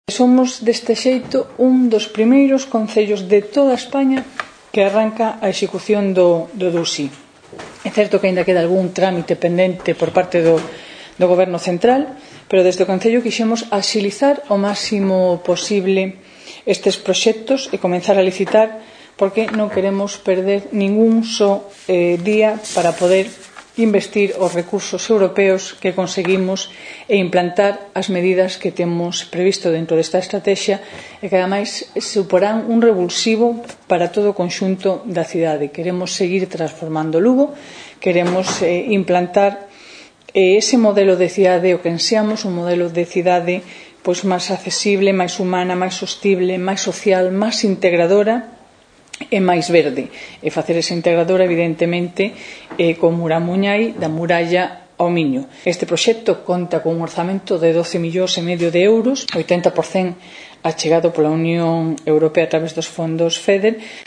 Somos, deste xeito, un dos primeiros concellos de toda España que arranca a execución do DUSI. É certo que aínda queda algún trámite pendente por parte do Goberno central, pero desde o Concello quixemos axilizar o máximo posible estes proxectos e comenzar a licitar, porque non queremos perder ningún só día para poder investir os recursos europeos que conseguimos e implantar as medidas que temos previsto dentro desta estrategia e que, ademais, suporán un revulsivo para todo o conxunto da cidade. Queremos seguir transformando Lugo, queremos implantar ese modelo de cidade o que ansiamos, un modelo de cidade máis accesible, máis humana, máis sostible, máis social, máis integradora e máis verde, e facer esa integradora evidentemente con Muramuñai da muralla ao Miño. Este proxecto conta con un orzamento de 12,5 millóns de euros, 80% achegado pola Unión Europea a través dos fondos FEDER,